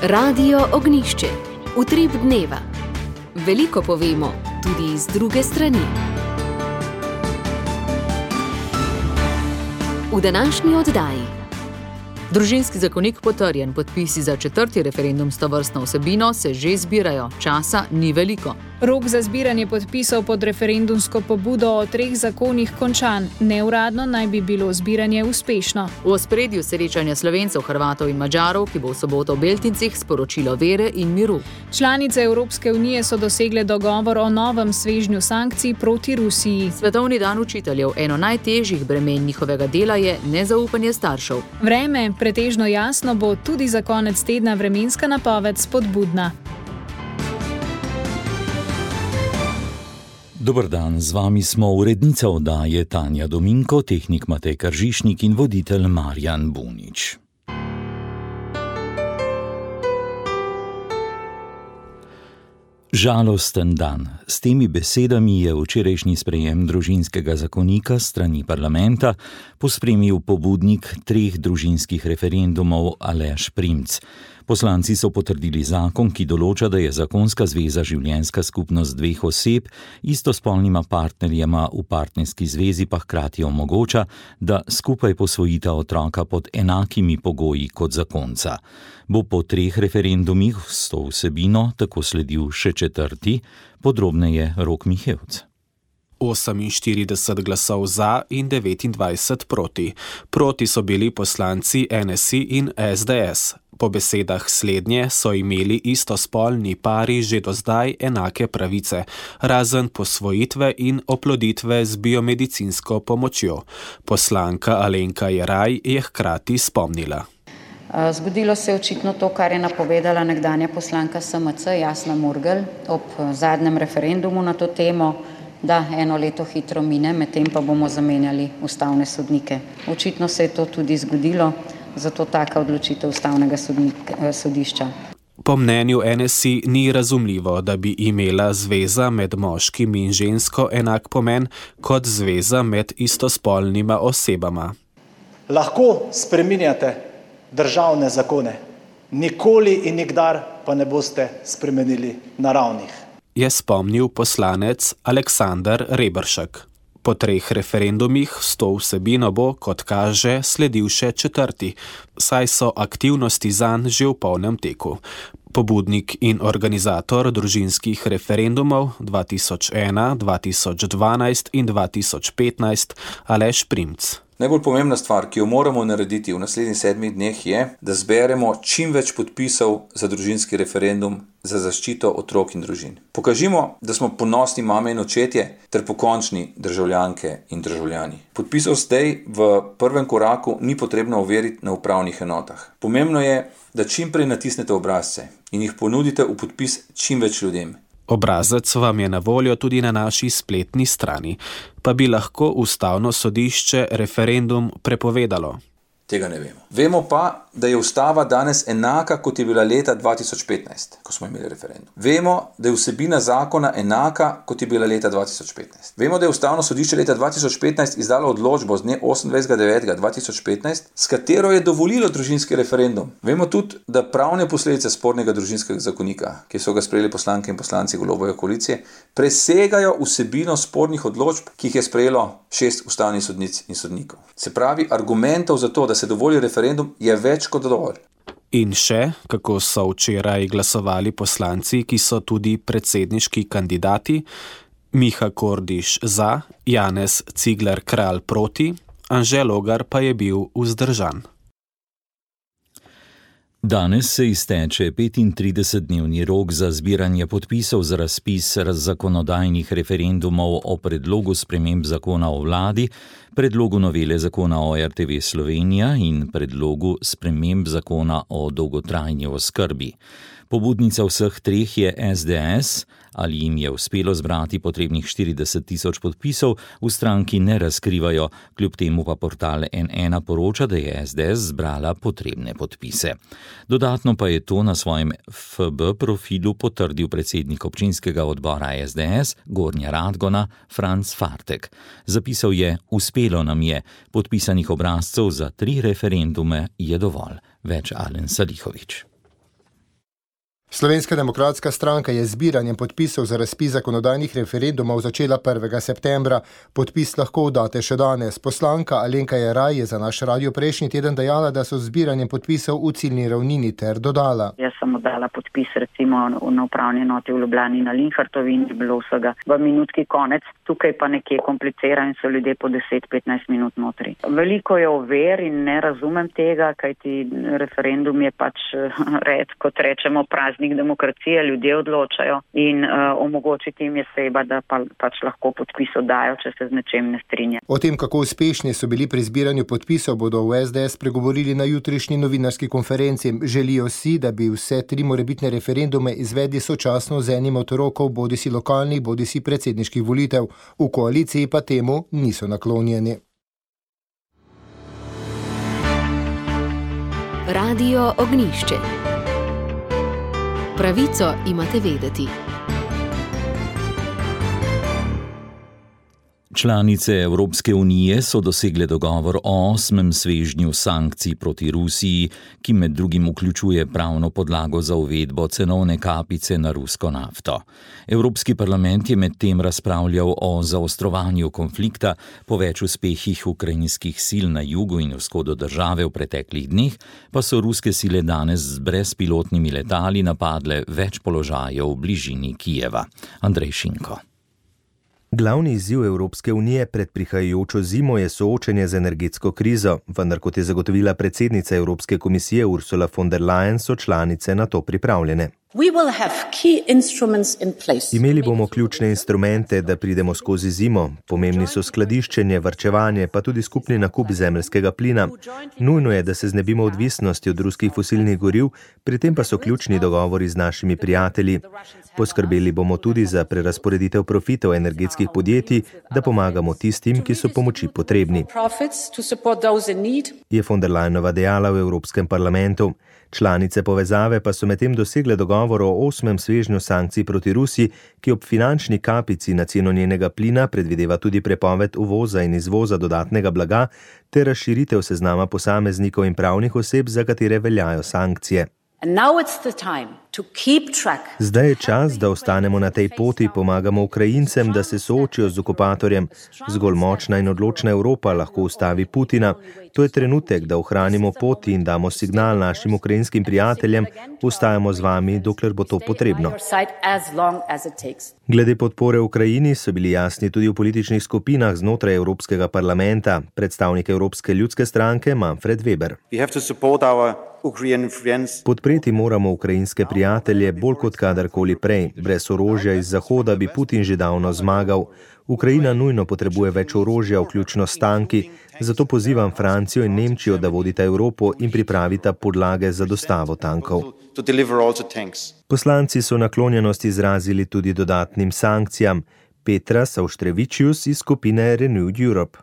Radio Ognjišče. Utrip dneva. Veliko povemo, tudi iz druge strani. V današnji oddaji. Družinski zakonik potrjen, podpisi za 4. referendum s tovrstno vsebino se že zbirajo, časa ni veliko. Rok za zbiranje podpisov pod referendumsko pobudo o 3 zakonih končan. Neuradno naj bi bilo zbiranje uspešno. V ospredju srečanja Slovencev, Hrvatov in Madžarov, ki bo v soboto v Beltincih, sporočilo vere in miru. Članice Evropske unije so dosegle dogovor o novem svežnju sankcij proti Rusiji. Svetovni dan učiteljev, eno najtežjih bremen njihovega dela je nezaupanje staršev. Vreme, pretežno jasno, bo tudi za konec tedna vremenska napoved spodbudna. Dober dan, z vami smo urednica oddaje Tanja Dominko, tehnik Matej Kržišnik in voditelj Marjan Bunič. Žalosten dan. S temi besedami je včerajšnji sprejem družinskega zakonika strani parlamenta pospremil pobudnik 3 družinskih referendumov Aleš Primc. Poslanci so potrdili zakon, ki določa, da je zakonska zveza življenjska skupnost 2 oseb, istospolnima partnerjema v partnerski zvezi pa hkrati omogoča, da skupaj posvojita otroka pod enakimi pogoji kot zakonca. Bo po 3 referendumih s to vsebino tako sledil še 4., podrobneje Rok Mihevc. 48 glasov za in 29 proti. Proti so bili poslanci NSI in SDS. Po besedah slednje so imeli istospolni pari že do zdaj enake pravice, razen posvojitve in oploditve z biomedicinsko pomočjo. Poslanka Alenka Jeraj je hkrati spomnila. Zgodilo se je očitno to, kar je napovedala nekdanja poslanka SMC Jasna Murgel ob zadnjem referendumu na to temo, da 1 leto hitro mine, medtem pa bomo zamenjali ustavne sodnike. Očitno se je to tudi zgodilo, zato taka odločitev ustavnega sodišča. Po mnenju NSI ni razumljivo, da bi imela zveza med moškim in žensko enak pomen kot zveza med istospolnima osebama. Lahko spreminjate državne zakone, nikoli in nikdar pa ne boste spremenili naravnih, je spomnil poslanec Aleksander Reberšek. Po 3 referendumih s to vsebino bo, kot kaže, sledil še 4., saj so aktivnosti zanj že v polnem teku. Pobudnik in organizator družinskih referendumov 2001, 2012 in 2015 Aleš Primc. Najbolj pomembna stvar, ki jo moramo narediti v naslednjih 7 dneh je, da zberemo čim več podpisov za družinski referendum za zaščito otrok in družin. Pokažimo, da smo ponosni mame in očetje ter pokončni državljanke in državljani. Podpisov zdaj v prvem koraku ni potrebno overiti na upravnih enotah. Pomembno je, da čim prej natisnete obrazce in jih ponudite v podpis čim več ljudem. Obrazec vam je na voljo tudi na naši spletni strani, pa bi lahko ustavno sodišče referendum prepovedalo. Tega ne vemo. Vemo pa, da je ustava danes enaka, kot je bila leta 2015, ko smo imeli referendum. Vemo, da je vsebina zakona enaka, kot je bila leta 2015. Vemo, da je ustavno sodišče leta 2015 izdalo odločbo z dne 28.9.2015, s katero je dovolilo družinski referendum. Vemo tudi, da pravne posledice spornega družinskega zakonika, ki so ga sprejeli poslanke in poslanci Golobove koalicije, presegajo vsebino spornih odločb, ki jih je sprejelo 6 ustavnih sodnic in sodnikov. Se pravi, argumentov za to, da se dovoli referendum, je več kot dovolj. In še, kako so včeraj glasovali poslanci, ki so tudi predsedniški kandidati: Miha Kordiš za, Janez Cigler Kralj proti, Anže Logar pa je bil vzdržan. Danes se izteče 35-dnevni rok za zbiranje podpisov za razpis zakonodajnih referendumov o predlogu sprememb zakona o vladi, predlogu novele zakona o RTV Slovenija in predlogu sprememb zakona o dolgotrajni oskrbi. Pobudnica vseh 3 je SDS, ali jim je uspelo zbrati potrebnih 40.000 podpisov, v stranki ne razkrivajo, kljub temu pa portal N1 poroča, da je SDS zbrala potrebne podpise. Dodatno pa je to na svojem FB profilu potrdil predsednik občinskega odbora SDS Gornja Radgona Franc Fartek. Zapisal je: uspelo nam je, podpisanih obrazcev za 3 referendume je dovolj. Več Alen Salihović. Slovenska demokratska stranka je zbiranjem podpisov za razpis zakonodajnih referendumov začela 1. septembra. Podpis lahko oddate še danes. Poslanka Alenka Jeraj je za naš radio prejšnji teden dejala, da so zbiranjem podpisov v ciljni ravnini ter dodala. Jaz sem oddala podpis recimo na upravni enoti v Ljubljani na Linhartovi in je bilo vsega v minutki konec. Tukaj pa nekje komplicira in so ljudje po 10-15 minut notri. Veliko je ovir in ne razumem tega, kajti referendum je pač kot rečemo praznik demokracije, ljudje odločajo in omogočiti jim je treba, da pač lahko podpis oddajo, če se z nečem ne strinja. O tem, kako uspešni so bili pri zbiranju podpisov, bodo v SDS pregovorili na jutrišnji novinarski konferenci. Želijo si, da bi vse 3 morebitne referendume izvedli sočasno z enim od rokov bodisi lokalnih, bodisi predsedniških volitev. V koaliciji pa temu niso naklonjeni. Radio Ognjišče. Pravico imate vedeti. Članice Evropske unije so dosegle dogovor o 8. svežnju sankcij proti Rusiji, ki med drugim vključuje pravno podlago za uvedbo cenovne kapice na rusko nafto. Evropski parlament je medtem razpravljal o zaostrovanju konflikta, po več uspehih ukrajinskih sil na jugu in vzhodu države v preteklih dneh, pa so ruske sile danes z brezpilotnimi letali napadle več položajev v bližini Kijeva. Andrej Šinko. Glavni izziv Evropske unije pred prihajajočo zimo je soočenje z energetsko krizo, vendar kot je zagotovila predsednica Evropske komisije Ursula von der Leyen, so članice na to pripravljene. Imeli bomo ključne instrumente, da pridemo skozi zimo. Pomembni so skladiščenje, varčevanje, pa tudi skupni nakup zemeljskega plina. Nujno je, da se znebimo odvisnosti od ruskih fosilnih goriv, pri tem pa so ključni dogovori z našimi prijatelji. Poskrbeli bomo tudi za prerazporeditev profitov energetskih podjetij, da pomagamo tistim, ki so pomoči potrebni, je von der Leyenova dejala v Evropskem parlamentu. Članice povezave pa so medtem dosegle dogovor o 8. svežnju sankcij proti Rusiji, ki ob finančni kapici na ceno njenega plina predvideva tudi prepoved uvoza in izvoza dodatnega blaga ter razširitev seznama posameznikov in pravnih oseb, za katere veljajo sankcije. Zdaj je čas, da ostanemo na tej poti, pomagamo Ukrajincem, da se soočijo z okupatorjem. Zgolj močna in odločna Evropa lahko ustavi Putina. To je trenutek, da ohranimo poti in damo signal našim ukrajinskim prijateljem, ostajamo z vami, dokler bo to potrebno. Glede podpore Ukrajini so bili jasni tudi v političnih skupinah znotraj Evropskega parlamenta. Predstavnik Evropske ljudske stranke Manfred Weber. Podpreti moramo ukrajinske prijatelje bolj kot kadarkoli prej. Brez orožja iz Zahoda bi Putin že davno zmagal. Ukrajina nujno potrebuje več orožja, vključno s tanki, zato pozivam Francijo in Nemčijo, da vodita Evropo in pripravita podlage za dostavo tankov. Poslanci so naklonjenost izrazili tudi dodatnim sankcijam. Petras Auštrevičius iz skupine Renewed Europe.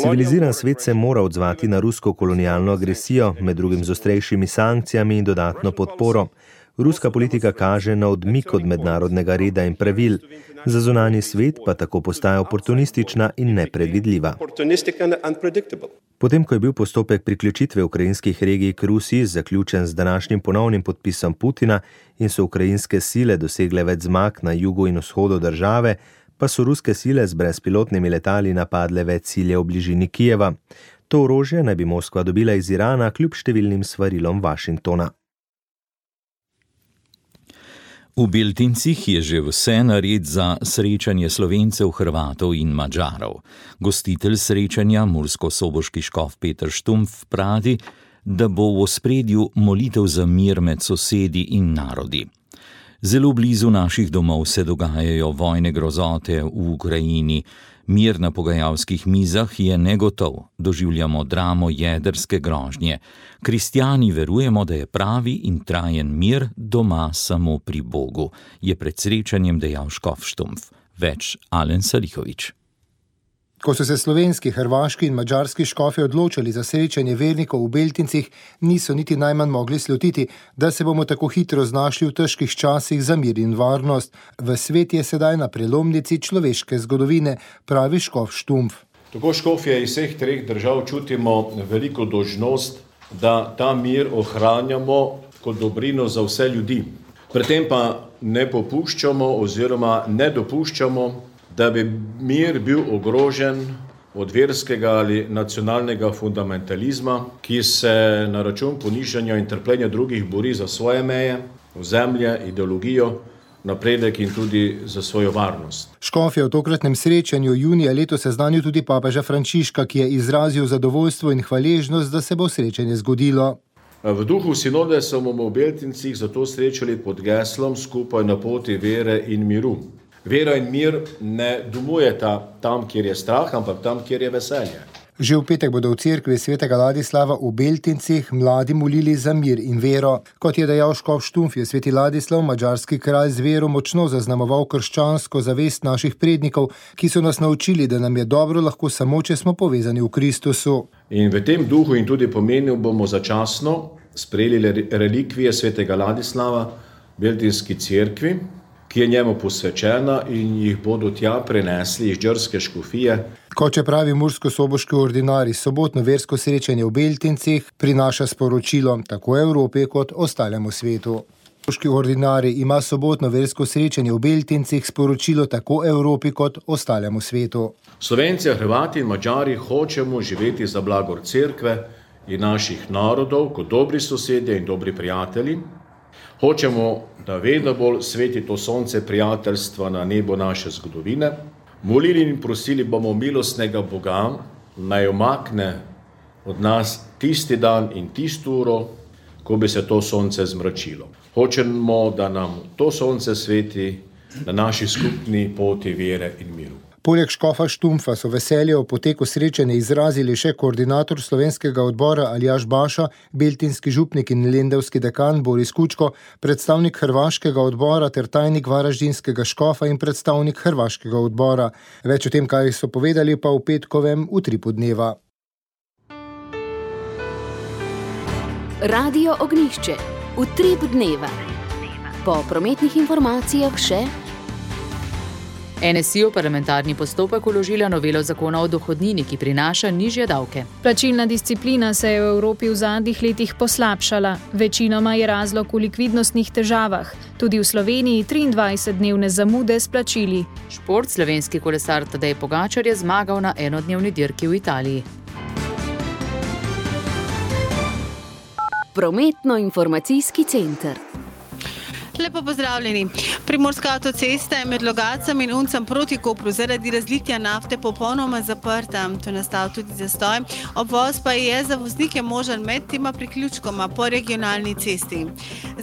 Civiliziran svet se mora odzvati na rusko kolonialno agresijo, med drugim z ostrejšimi sankcijami in dodatno podporo. Ruska politika kaže na odmik od mednarodnega reda in pravil. Za zunanji svet pa tako postaja oportunistična in nepredvidljiva. Potem, ko je bil postopek priključitve ukrajinskih regij k Rusiji zaključen z današnjim ponovnim podpisom Putina in so ukrajinske sile dosegle več zmag na jugu in vzhodu države, pa so ruske sile z brezpilotnimi letali napadle več ciljev v bližini Kijeva. To orožje naj bi Moskva dobila iz Irana kljub številnim svarilom Washingtona. V Beltincih je že vse nared za srečanje Slovencev, Hrvatov in Madžarov. Gostitelj srečanja, murskosoboški škof Peter Štumpf, pravi, da bo v ospredju molitev za mir med sosedi in narodi. Zelo blizu naših domov se dogajajo vojne grozote v Ukrajini. Mir na pogajalskih mizah je negotov. Doživljamo dramo jedrske grožnje. Kristjani verujemo, da je pravi in trajen mir doma samo pri Bogu, je pred srečanjem dejal škof Štumpf. Več Alen Salihovič. Ko so se slovenski, hrvaški in madžarski škofi odločili za srečanje vernikov v Beltincih, niso niti najmanj mogli slutiti, da se bomo tako hitro znašli v težkih časih za mir in varnost. V svet je sedaj na prelomnici človeške zgodovine, pravi škof Štumpf. Tako škofje iz vseh treh držav čutimo veliko dolžnost, da ta mir ohranjamo kot dobrino za vse ljudi. Pri tem pa ne popuščamo oziroma ne dopuščamo, da bi mir bil ogrožen od verskega ali nacionalnega fundamentalizma, ki se na račun ponižanja in trpljenja drugih bori za svoje meje, ozemlje, ideologijo, napredek in tudi za svojo varnost. Škof je v tokratnem srečanju junija letos seznanil tudi papeža Frančiška, ki je izrazil zadovoljstvo in hvaležnost, da se bo srečanje zgodilo. V duhu sinode smo v Beltincih zato srečali pod geslom Skupaj na poti vere in miru. Vera in mir ne domujeta tam, kjer je strah, ampak tam, kjer je veselje. Že v petek bodo v cerkvi svetega Ladislava v Beltincih mladi molili za mir in vero. Kot je dejal škof Štumpf, je sveti Ladislav, madžarski kralj, z vero močno zaznamoval krščansko zavest naših prednikov, ki so nas naučili, da nam je dobro lahko samo, če smo povezani v Kristusu. In v tem duhu in tudi pomenu bomo začasno sprejeli relikvije svetega Ladislava v Beltinski cerkvi, ki je njemu posvečena, in jih bodo tja prenesli iz džrske škofije. Kot je pravi murskosoboški ordinarij, sobotno versko srečanje v Beltincih prinaša sporočilo tako Evropi kot ostalemu svetu. Murskosoboški ordinarij ima sobotno versko srečanje v Beltincih sporočilo tako Evropi kot ostalemu svetu. Slovenci, Hrvati in Madžari hočemo živeti za blagor cerkve in naših narodov kot dobri sosedje in dobri prijatelji. Hočemo, da vedno bolj sveti to sonce prijateljstva na nebo naše zgodovine. Molili in prosili bomo milostnega Boga, naj umakne od nas tisti dan in tisto uro, ko bi se to sonce zmračilo. Hočemo, da nam to sonce sveti na naši skupni poti vere in miru. Poleg škofa Štumpfa so veselje o poteku srečanja izrazili še koordinator slovenskega odbora Aljaž Baša, beltinski župnik in lendavski dekan Boris Kučko, predstavnik hrvaškega odbora ter tajnik varaždinskega škofa in predstavnik hrvaškega odbora. Več o tem, kaj so povedali, pa v petkovem Utripu dneva. Radio Ognjišče. Utrip dneva. Po prometnih informacijah še NSI v parlamentarni postopek vložila novelo zakona o dohodnini, ki prinaša nižje davke. Plačilna disciplina se je v Evropi v zadnjih letih poslabšala. Večinoma je razlog v likvidnostnih težavah. Tudi v Sloveniji 23-dnevne zamude s plačili. Šport, slovenski kolesar Tadej Pogačar je zmagal na enodnevni dirki v Italiji. Prometno-informacijski center. Lepo pozdravljeni. Primorska avtocesta je med Logatcem in Uncem proti Kopru zaradi razlitja nafte popolnoma zaprta. To je nastal tudi zastoj. Obvoz pa je za voznike možen med tema priključkoma po regionalni cesti.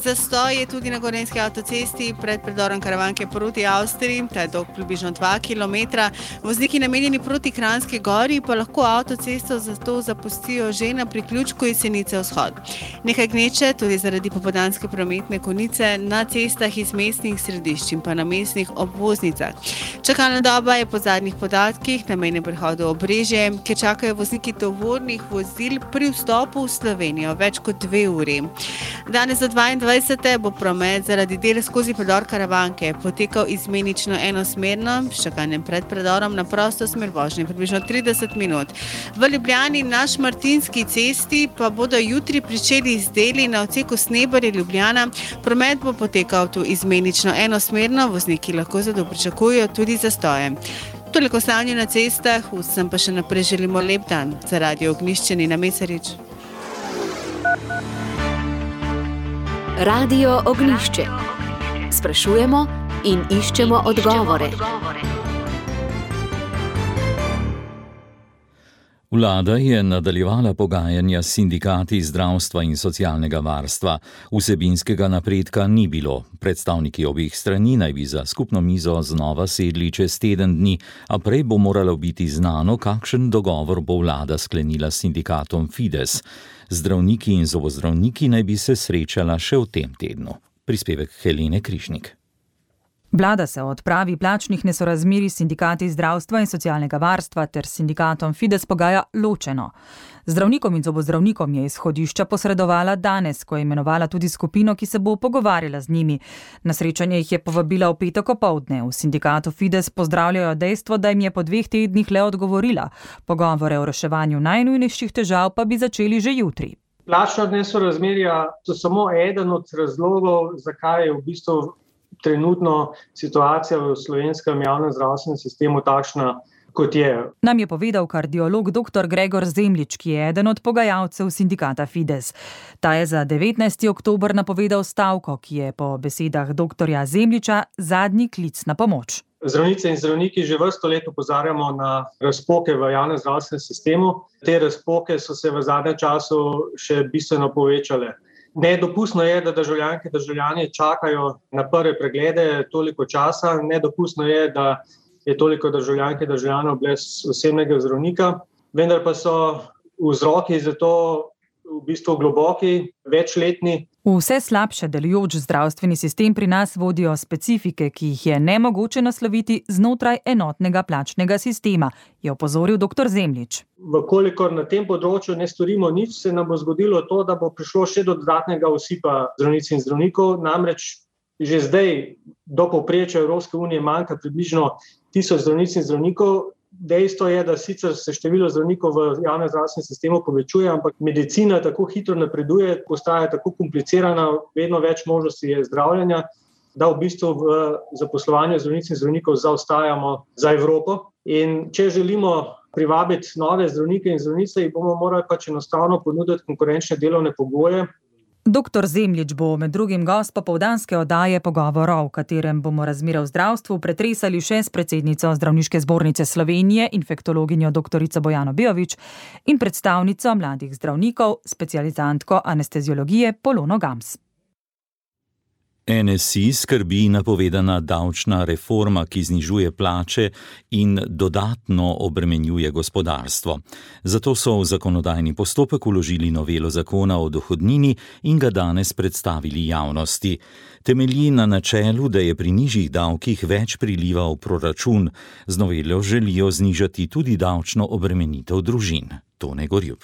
Zastoj je tudi na Gorenjski avtocesti pred predorom Karavanke proti Avstriji, ta je dolg približno 2 km. Vozniki namenjeni proti Kranjski gori pa lahko avtocesto zato zapustijo že na priključku Jesenice vzhod. Nekaj gneče tudi zaradi popoldanske prometne konice na cestah iz mestnih središč in pa na mestnih obvoznicah. Čakalna doba je po zadnjih podatkih na mejnem prehodu Obrežje, kjer čakajo vozniki tovornih vozil pri vstopu v Slovenijo več kot 2 uri. Danes do 22. bo promet zaradi del skozi predor Karavanke potekal izmenično enosmerno, s čakanjem pred predorom na prosto smer vožnje približno 30 minut. V Ljubljani na Šmartinski cesti pa bodo jutri pričeli z deli na odseku Snebarje-Ljubljana. Promet bo potekal tu izmenično enosmerno, vozniki lahko zato pričakujejo tudi zastoje. Toliko stanje na cestah, vsem pa še naprej želimo lep dan. Za Radio Ognjišče Nina Mesarič. Radio Ognjišče. Sprašujemo in iščemo odgovore. Vlada je nadaljevala pogajanja s sindikati zdravstva in socialnega varstva. Vsebinskega napredka ni bilo. Predstavniki obeh strani naj bi za skupno mizo znova sedli čez teden dni, a prej bo moralo biti znano, kakšen dogovor bo vlada sklenila s sindikatom Fides. Zdravniki in zobozdravniki naj bi se srečala še v tem tednu. Prispevek Helene Križnik. Vlada se o odpravi plačnih nesorazmerij s sindikati zdravstva in socialnega varstva ter sindikatom Fides pogaja ločeno. Zdravnikom in zobozdravnikom je izhodišča posredovala danes, ko je imenovala tudi skupino, ki se bo pogovarjala z njimi. Na srečanje jih je povabila v petek opoldne. V sindikatu Fides pozdravljajo dejstvo, da jim je po 2 tednih le odgovorila. Pogovore o reševanju najnujnejših težav pa bi začeli že jutri. Plačna nesorazmerja so samo eden od razlogov, zakaj je v bistvu trenutno situacija v slovenskem javnem zdravstvenem sistemu takšna, kot je. Nam je povedal kardiolog dr. Gregor Zemljič, ki je eden od pogajalcev sindikata Fides. Ta je za 19. oktober napovedal stavko, ki je po besedah dr. Zemljiča zadnji klic na pomoč. Zdravnice in zdravniki že vrsto let opozarjamo na razpoke v javnem zdravstvenem sistemu. Te razpoke so se v zadnjem času še bistveno povečale. Nedopustno je, da državljanke in državljani čakajo na prve preglede toliko časa. Nedopustno je, da je toliko državljank in državljanov brez osebnega zdravnika, vendar pa so vzroki za to v bistvu globoki, večletni. V vse slabše delujoč zdravstveni sistem pri nas vodijo specifike, ki jih je nemogoče nasloviti znotraj enotnega plačnega sistema, je opozoril dr. Zemljič. Vkolikor na tem področju ne storimo nič, se nam bo zgodilo to, da bo prišlo še do dodatnega osipa zdravnic in zdravnikov, namreč že zdaj do povprečja Evropske unije manjka približno 1000 zdravnic in zdravnikov. Dejstvo je, da sicer se število zdravnikov v javnem zdravstvenem sistemu povečuje, ampak medicina tako hitro napreduje, postaja tako komplicirana, vedno več možnosti je zdravljenja, da v bistvu v zaposlovanju zdravnic in zdravnikov zaostajamo za Evropo. In če želimo privabiti nove zdravnike in zdravnice, jih bomo morali pač enostavno ponuditi konkurenčne delovne pogoje. Dr. Zemljič bo med drugim gost popoldanske oddaje Pogovorov, v katerem bomo razmere v zdravstvu pretresali še s predsednico Zdravniške zbornice Slovenije, infektologinjo dr. Bojano Beović in predstavnico mladih zdravnikov, specializantko anesteziologije Polono Gams. NSI skrbi napovedana davčna reforma, ki znižuje plače in dodatno obremenjuje gospodarstvo. Zato so v zakonodajni postopek vložili novelo zakona o dohodnini in ga danes predstavili javnosti. Temelji na načelu, da je pri nižjih davkih več priliva v proračun. Z novelo želijo znižati tudi davčno obremenitev družin. Tone Gorjup.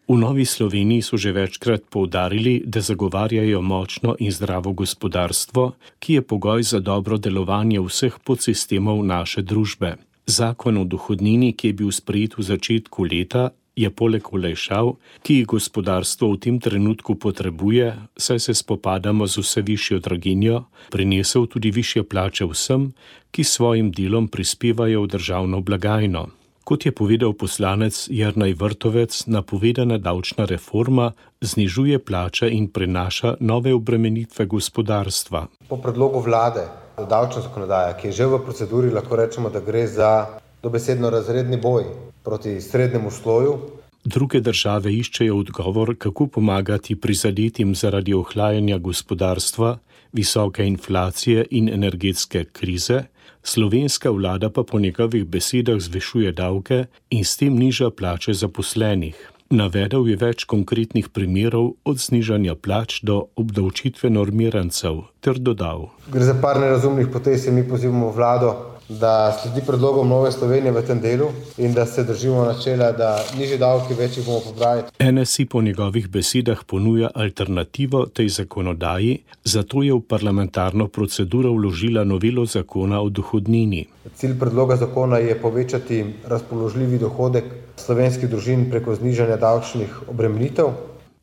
V Novi Sloveniji so že večkrat poudarili, da zagovarjajo močno in zdravo gospodarstvo, ki je pogoj za dobro delovanje vseh podsistemov naše družbe. Zakon o dohodnini, ki je bil sprejet v začetku leta, je poleg olajšav, ki jih gospodarstvo v tem trenutku potrebuje, saj se spopadamo z vse višjo draginjo, prinesel tudi višje plače vsem, ki svojim delom prispevajo v državno blagajno. Kot je povedal poslanec Jernej Vrtovec, napovedana davčna reforma znižuje plače in prenaša nove obremenitve gospodarstva. Po predlogu vlade, davčna zakonodaja, ki je že v proceduri, lahko rečemo, da gre za dobesedno razredni boj proti srednjemu sloju. Druge države iščejo odgovor, kako pomagati prizadetim zaradi ohlajanja gospodarstva, visoke inflacije in energetske krize. Slovenska vlada pa po njegovih besedah zvišuje davke in s tem niža plače zaposlenih. Navedel je več konkretnih primerov od znižanja plač do obdavčitve normirancev, ter dodal. Gre za par nerazumnih potez in mi pozivamo vlado, da sledi predlogom Nove Slovenije v tem delu in da se držimo načela, da nižji davki, več jih bomo pobrali. NSI po njegovih besedah ponuja alternativo tej zakonodaji, zato je v parlamentarno proceduro vložila novelo zakona o dohodnini. Cilj predloga zakona je povečati razpoložljivi dohodek slovenskih družin preko znižanja davčnih obremenitev.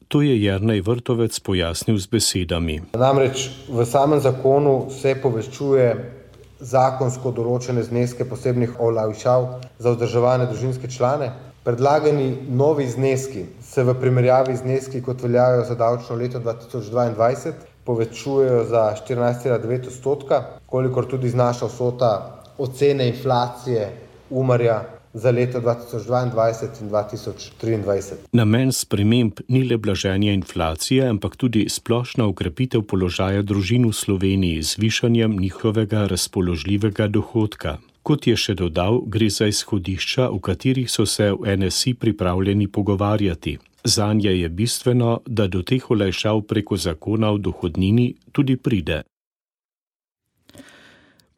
To je Jernej Vrtovec pojasnil z besedami. Namreč v samem zakonu se povečuje zakonsko določene zneske posebnih olajšav za vzdrževane družinske člane. Predlagani novi zneski se v primerjavi z zneski, kot veljajo za davčno leto 2022, povečujejo za 14,9%, kolikor tudi znaša vsota ocene inflacije Umarja za leto 2022 in 2023. Namen sprememb ni le blaženje inflacije, ampak tudi splošna ukrepitev položaja družin v Sloveniji z višanjem njihovega razpoložljivega dohodka. Kot je še dodal, gre za izhodišča, v katerih so se v NSI pripravljeni pogovarjati. Zanje je bistveno, da do teh olajšav preko zakona o dohodnini tudi pride.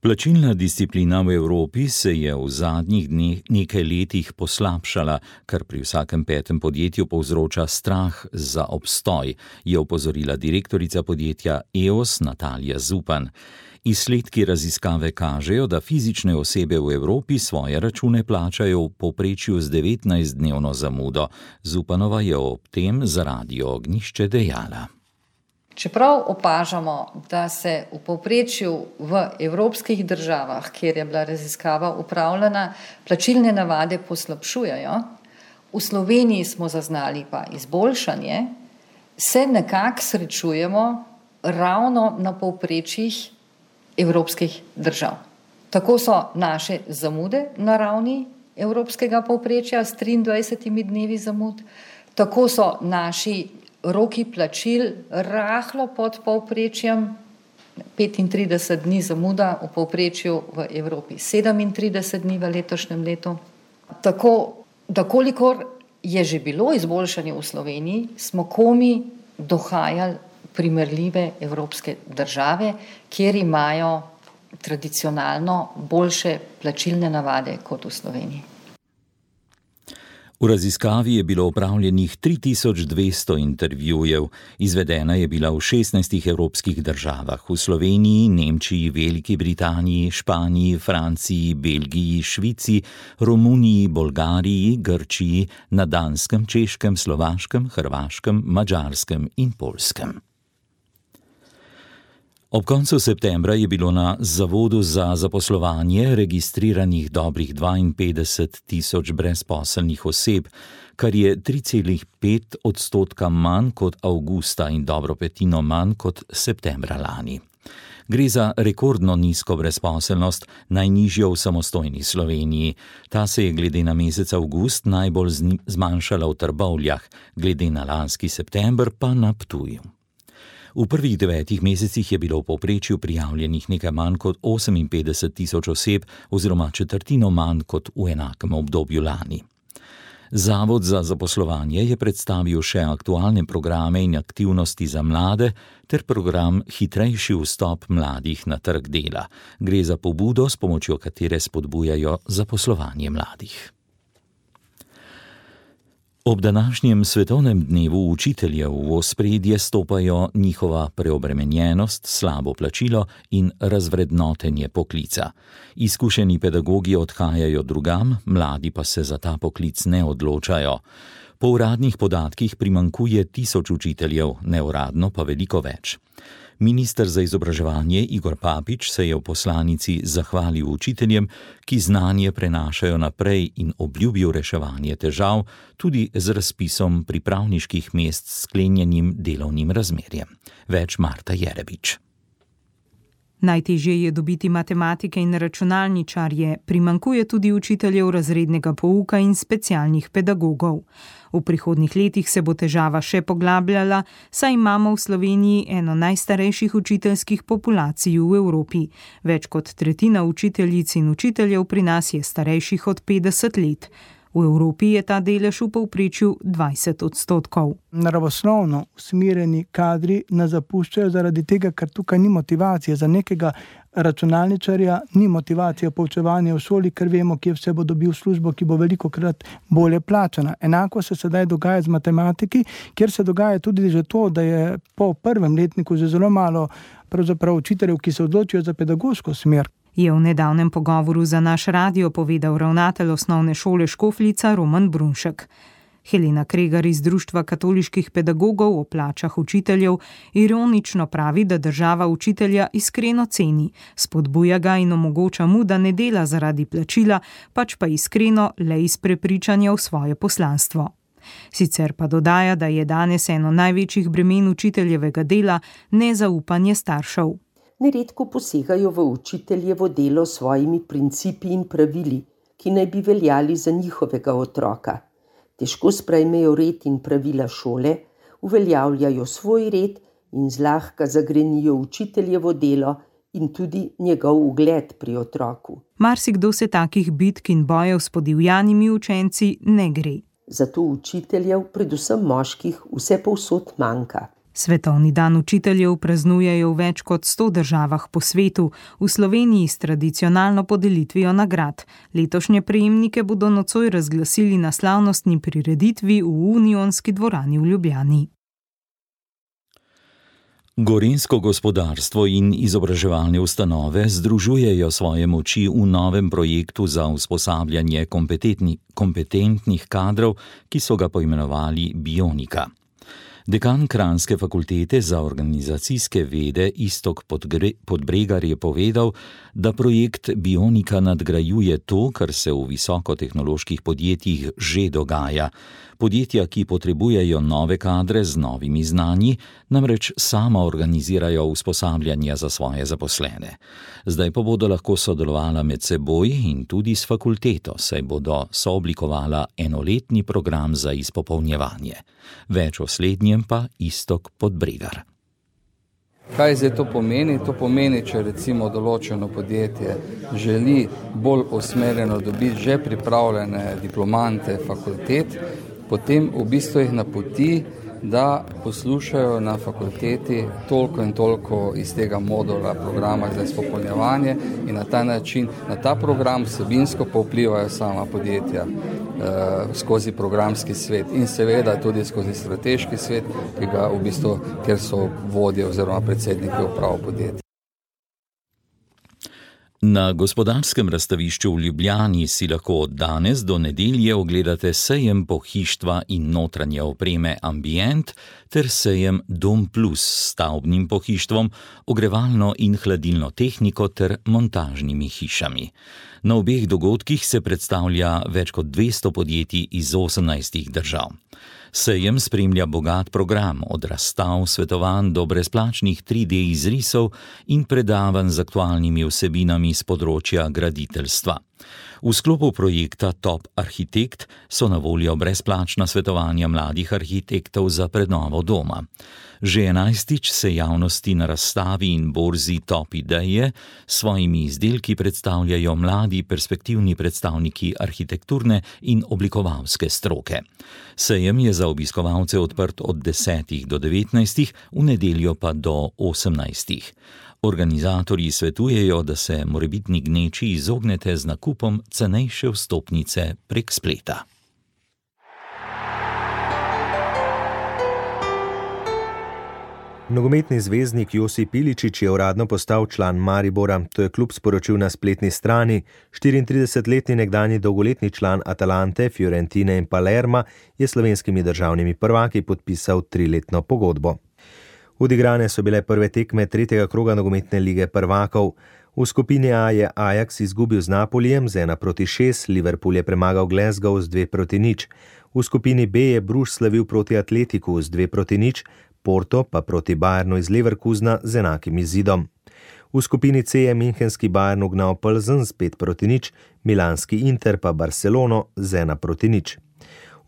Plačilna disciplina v Evropi se je v zadnjih dneh nekaj letih poslabšala, kar pri vsakem petem podjetju povzroča strah za obstoj, je opozorila direktorica podjetja EOS Natalija Zupan. Izsledki raziskave kažejo, da fizične osebe v Evropi svoje račune plačajo v povprečju z 19-dnevno zamudo. Zupanova je ob tem za Radio Ognjišče dejala. Čeprav opažamo, da se v povprečju v evropskih državah, kjer je bila raziskava upravljena, plačilne navade poslabšujejo, v Sloveniji smo zaznali pa izboljšanje, se nekako srečujemo ravno na povprečjih evropskih držav. Tako so naše zamude na ravni evropskega povprečja s 23 dnevi zamud, tako so naši roki plačil rahlo pod povprečjem, 35 dni zamuda, v povprečju v Evropi 37 dni v letošnjem letu. Tako, da kolikor je že bilo izboljšanje v Sloveniji, smo komi dohajali primerljive evropske države, kjer imajo tradicionalno boljše plačilne navade kot v Sloveniji. V raziskavi je bilo opravljenih 3200 intervjujev, izvedena je bila v 16 evropskih državah, v Sloveniji, Nemčiji, Veliki Britaniji, Španiji, Franciji, Belgiji, Švici, Romuniji, Bolgariji, Grčiji, na Danskem, Češkem, Slovaškem, Hrvaškem, Madžarskem in Poljskem. Ob koncu septembra je bilo na Zavodu za zaposlovanje registriranih dobrih 52 000 brezposelnih oseb, kar je 3,5% manj kot avgusta in dobro petino manj kot septembra lani. Gre za rekordno nizko brezposelnost, najnižjo v samostojni Sloveniji. Ta se je glede na mesec avgust najbolj zmanjšala v Trbovljah, glede na lanski september pa na Ptuju. V prvih 9 mesecih je bilo v povprečju prijavljenih nekaj manj kot 58 000 oseb oziroma četrtino manj kot v enakem obdobju lani. Zavod za zaposlovanje je predstavil še aktualne programe in aktivnosti za mlade ter program Hitrejši vstop mladih na trg dela. Gre za pobudo, s pomočjo katere spodbujajo zaposlovanje mladih. Ob današnjem svetovnem dnevu učiteljev v ospredje stopajo njihova preobremenjenost, slabo plačilo in razvrednotenje poklica. Izkušeni pedagogi odhajajo drugam, mladi pa se za ta poklic ne odločajo. Po uradnih podatkih primanjkuje 1000 učiteljev, neuradno pa veliko več. Minister za izobraževanje Igor Papič se je v poslanici zahvalil učiteljem, ki znanje prenašajo naprej in obljubil reševanje težav tudi z razpisom pripravniških mest s sklenjenim delovnim razmerjem. Več Marta Jerebič. Najtežje je dobiti matematike in računalničarje, primanjkuje tudi učiteljev razrednega pouka in specialnih pedagogov. V prihodnjih letih se bo težava še poglabljala, saj imamo v Sloveniji eno najstarejših učiteljskih populacij v Evropi. Več kot tretjina učiteljic in učiteljev pri nas je starejših od 50 let. V Evropi je ta delež v povprečju 20%. Naravoslovno usmerjeni kadri nas zapuščajo zaradi tega, ker tukaj ni motivacije. Za nekega računalničarja ni motivacija poučevanja v šoli, ker vemo, kje vse bo dobil službo, ki bo velikokrat bolje plačana. Enako se sedaj dogaja z matematiki, kjer se dogaja tudi že to, da je po prvem letniku že zelo malo pravzaprav učiteljev, ki se odločijo za pedagoško smer. Je v nedavnem pogovoru za naš radio povedal ravnatelj osnovne šole Škofljica Roman Brunšek. Helena Kregar iz Društva katoliških pedagogov o plačah učiteljev ironično pravi, da država učitelja iskreno ceni, spodbuja ga in omogoča mu, da ne dela zaradi plačila, pač pa iskreno le iz prepričanja v svoje poslanstvo. Sicer pa dodaja, da je danes eno največjih bremen učiteljevega dela nezaupanje staršev. Neredko posegajo v učiteljevo delo s svojimi principi in pravili, ki naj bi veljali za njihovega otroka. Težko sprejmejo red in pravila šole, uveljavljajo svoj red in zlahka zagrenijo učiteljevo delo in tudi njegov ugled pri otroku. Marsikdo se takih bitk in bojev s podivjanimi učenci ne gre. Zato učiteljev, predvsem moških, vse povsod manjka. Svetovni dan učiteljev praznujejo v več kot 100 državah po svetu, v Sloveniji s tradicionalno podelitvijo nagrad. Letošnje prejemnike bodo nocoj razglasili na slavnostni prireditvi v Unionski dvorani v Ljubljani. Gorenjsko gospodarstvo in izobraževalne ustanove združujejo svoje moči v novem projektu za usposabljanje kompetentnih kadrov, ki so ga poimenovali Bionika. Dekan Kranjske fakultete za organizacijske vede Iztok Podbregar je povedal, da projekt Bionika nadgrajuje to, kar se v visokotehnoloških podjetjih že dogaja. Podjetja, ki potrebujejo nove kadre z novimi znanji, namreč sama organizirajo usposabljanja za svoje zaposlene. Zdaj pa bodo lahko sodelovala med seboj in tudi s fakulteto, saj bodo sooblikovala enoletni program za izpopolnjevanje. Več o slednjem pa Iztok Podbregar. Kaj zdaj to pomeni? To pomeni, če recimo določeno podjetje želi bolj usmerjeno dobiti že pripravljene diplomante fakultet, potem v bistvu jih napoti, da poslušajo na fakulteti toliko in toliko iz tega modula programa za izpopolnjevanje in na ta način, na ta program vsebinsko pa vplivajo sama podjetja skozi programski svet in seveda tudi skozi strateški svet, kjer so vodje oziroma predsedniki uprav podjetja. Na Gospodarskem razstavišču v Ljubljani si lahko od danes do nedelje ogledate sejem pohištva in notranje opreme Ambient ter sejem Dom Plus s stavbnim pohištvom, ogrevalno in hladilno tehniko ter montažnimi hišami. Na obeh dogodkih se predstavlja več kot 200 podjetij iz 18 držav. Sejem spremlja bogat program od razstav, svetovanj do brezplačnih 3D izrisov in predavanj z aktualnimi vsebinami z področja graditeljstva. V sklopu projekta Top Arhitekt so na voljo brezplačna svetovanja mladih arhitektov za prenovo doma. Že 11. se javnosti na razstavi in borzi Top Ideje s svojimi izdelki predstavljajo mladi perspektivni predstavniki arhitekturne in oblikovalske stroke. Sejem je za obiskovalce odprt od 10. do 19., v nedeljo pa do 18. Organizatorji svetujejo, da se morebitni gneči izognete z nakupom cenejše vstopnice prek spleta. Nogometni zvezdnik Josip Iličić je uradno postal član Maribora, to je klub sporočil na spletni strani. 34-letni nekdanji dolgoletni član Atalante, Fiorentine in Palerma je slovenskimi državnimi prvaki podpisal 3-letno pogodbo. Odigrane so bile prve tekme 3. kroga nogometne lige prvakov. V skupini A je Ajax izgubil z Napolijem z 1-6, Liverpool je premagal Glasgow z 2-0. V skupini B je Bruges slavil proti Atletiku z 2-0, Porto pa proti Bayernu iz Leverkusena z enakim izidom. V skupini C je münchenski Bayern ugnal Plzen z 5-0, milanski Inter pa Barcelono z 1-0.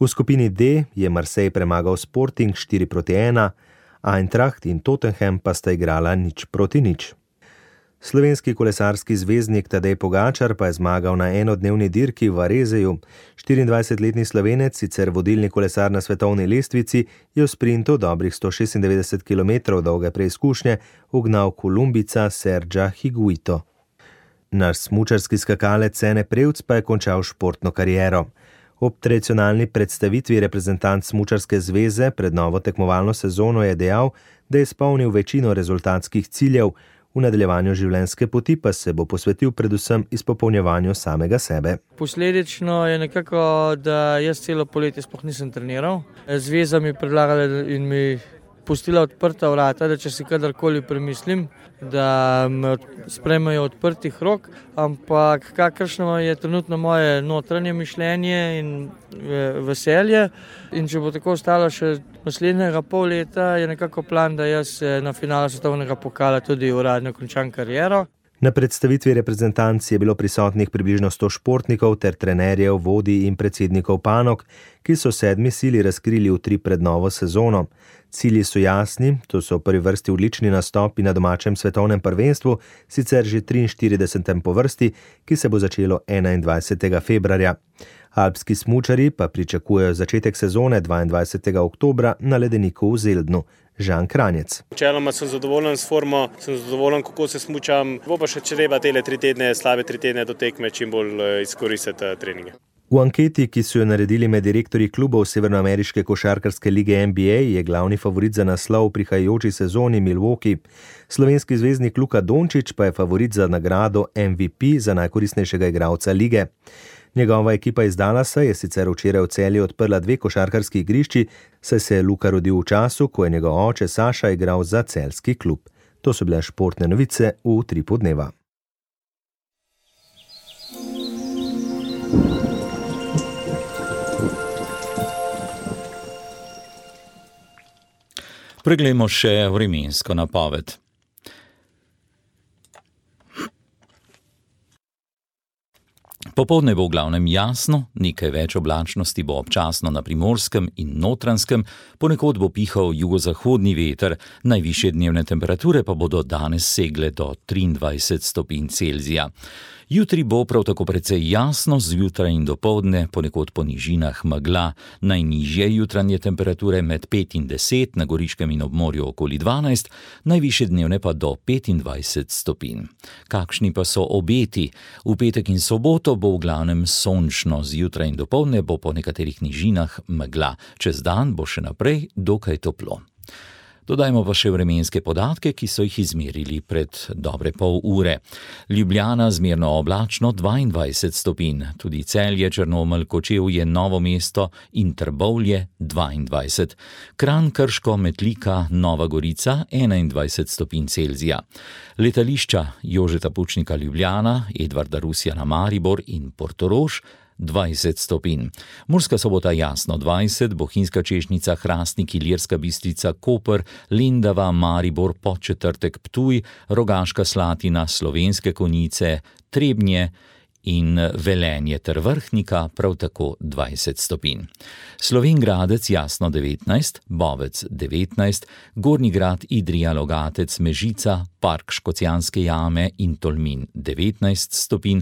V skupini D je Marseille premagal Sporting 4-1, Eintracht in Tottenham pa sta igrala 0-0. Slovenski kolesarski zvezdnik Tadej Pogačar pa je zmagal na enodnevni dirki v Varezeju. 24-letni Slovenec, sicer vodilni kolesar na svetovni lestvici, je v sprintu dobrih 196 km dolge preizkušnje ugnal Kolumbica Sergia Higuito. Naš smučarski skakalec Ene Prevc pa je končal športno kariero. Ob tradicionalni predstavitvi reprezentant Smučarske zveze pred novo tekmovalno sezono je dejal, da je izpolnil večino rezultatskih ciljev, v nadaljevanju življenjske poti pa se bo posvetil predvsem izpopolnjevanju samega sebe. Posledično je nekako, da jaz celo poletje sploh nisem treniral. Zveza mi predlagala in mi pustila odprta vrata, da če si kadarkoli premislim, da me sprejmejo odprtih rok, ampak kakršno je trenutno moje notranje mišljenje in veselje. In če bo tako ostalo še naslednjega pol leta, je nekako plan, da jaz na finalu svetovnega pokala tudi uradno končam kariero. Na predstavitvi reprezentanc je bilo prisotnih približno 100 športnikov ter trenerjev, vodij in predsednikov panog, ki so 7. sili razkrili utrip pred novo sezono. Cilji so jasni, to so v prvi vrsti odlični nastopi na domačem svetovnem prvenstvu, sicer že 43. po vrsti, ki se bo začelo 21. februarja. Alpski smučarji pa pričakujejo začetek sezone 22. oktobra na ledeniku v Zeldnu. Žan Kranjec. Načeloma sem zadovoljen s formo, sem zadovoljen, kako se smučam. Bo pa še treba tele 3 tedne, slabe 3 tedne do tekme čim bolj izkoristiti treninge. V anketi, ki so jo naredili med direktorji klubov Severnoameriške košarkarske lige NBA, je glavni favorit za naslov v prihajajoči sezoni Milwaukee. Slovenski zvezdnik Luka Dončić pa je favorit za nagrado MVP za najkoristnejšega igralca lige. Njegova ekipa iz Dallasa je sicer včeraj v Celju odprla 2 košarkarski igrišči, saj se je Luka rodil v času, ko je njegov oče Saša igral za celjski klub. To so bile športne novice v Utripu dneva. Preglejmo še vremensko napoved. Popoldne bo v glavnem jasno, nekaj več oblačnosti bo občasno na Primorskem in Notranjskem, ponekod bo pihal jugozahodni veter, najvišje dnevne temperature pa bodo danes segle do 23 stopinj Celzija. Jutri bo prav tako precej jasno, zjutraj in dopoldne, ponekod po nižinah megla, najnižje jutranje temperature med 5 in 10, na Goriškem in ob morju okoli 12, najvišje dnevne pa do 25 stopinj. Kakšni pa so obeti? V petek in soboto bo v glavnem sončno, zjutraj in dopoldne bo po nekaterih nižinah megla. Čez dan bo še naprej dokaj toplo. Dodajmo pa še vremenske podatke, ki so jih izmerili pred dobre pol ure. Ljubljana zmerno oblačno 22 stopinj, tudi Celje, Črnomelj, Kočevje, Novo mesto in Trbovlje 22. Kranj, Krško, Metlika, Nova Gorica 21 stopinj Celzija. Letališča Jožeta Pučnika Ljubljana, Edvarda Rusjana Maribor in Portorož 20 stopinj. Murska Sobota jasno 20, Bohinjska Češnica, Hrastnik, Ilirska Bistrica, Koper, Lendava, Maribor, Podčetrtek, Ptuj, Rogaška Slatina, Slovenske Konjice, Trebnje in Velenje ter Vrhnika prav tako 20 stopinj. Slovenj Gradec jasno 19, Bovec 19, Gornji Grad, Idrija, Logatec, Mežica, Park Škocjanske jame in Tolmin 19 stopinj,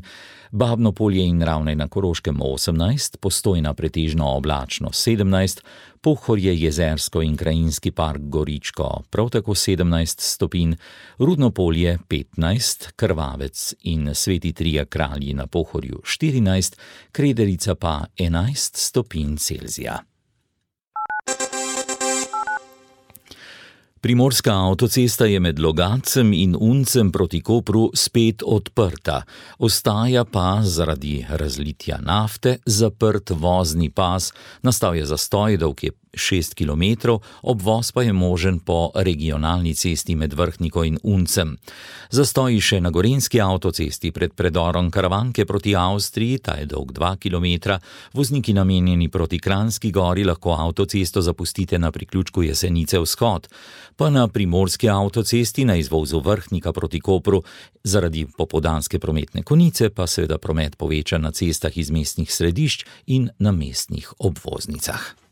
Babno Polje in Ravne na Koroškem 18, Postojna pretežno oblačno 17, Pohorje, Jezersko in Krajinski park Goričko prav tako 17 stopinj, Rudno Polje 15, Krvavec in Sveti Trije Kralji na Pohorju 14, Krederica pa 11 stopinj Celzija. Primorska avtocesta je med Logatcem in Uncem proti Kopru spet odprta. Ostaja pa zaradi razlitja nafte zaprt vozni pas, nastal je zastoj, dolg je 6 km, obvoz pa je možen po regionalni cesti med Vrhniko in Uncem. Zastoji še na Gorenjski avtocesti pred predorom Karavanke proti Avstriji, ta je dolg 2 km, vozniki namenjeni proti Kranjski Gori lahko avtocesto zapustite na priključku Jesenice vzhod, pa na Primorski avtocesti na izvozu Vrhnika proti Kopru zaradi popoldanske prometne konice pa seveda promet poveča na cestah iz mestnih središč in na mestnih obvoznicah.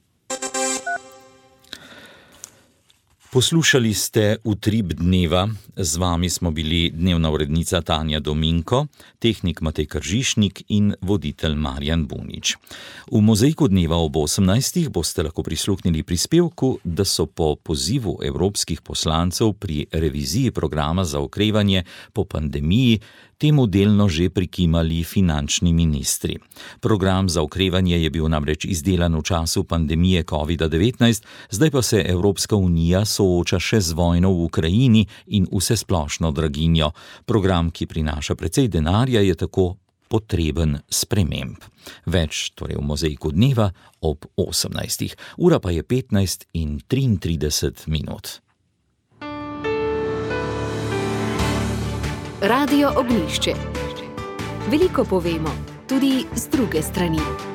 Poslušali ste Utrip dneva, z vami smo bili dnevna urednica Tanja Dominko, tehnik Matej Kržišnik in voditelj Marjan Bunič. V Mozaiku dneva ob 18. boste lahko prisluhnili prispevku, da so po pozivu evropskih poslancev pri reviziji programa za okrevanje po pandemiji temu delno že prikimali finančni ministri. Program za okrevanje je bil namreč izdelan v času pandemije COVID-19, zdaj pa se Evropska unija sooča še z vojno v Ukrajini in vsesplošno draginjo. Program, ki prinaša precej denarja, je tako potreben sprememb. Več torej v Mozaiku dneva ob 18. Ura pa je 15:33. Radio Ognjišče. Veliko povemo, tudi z druge strani.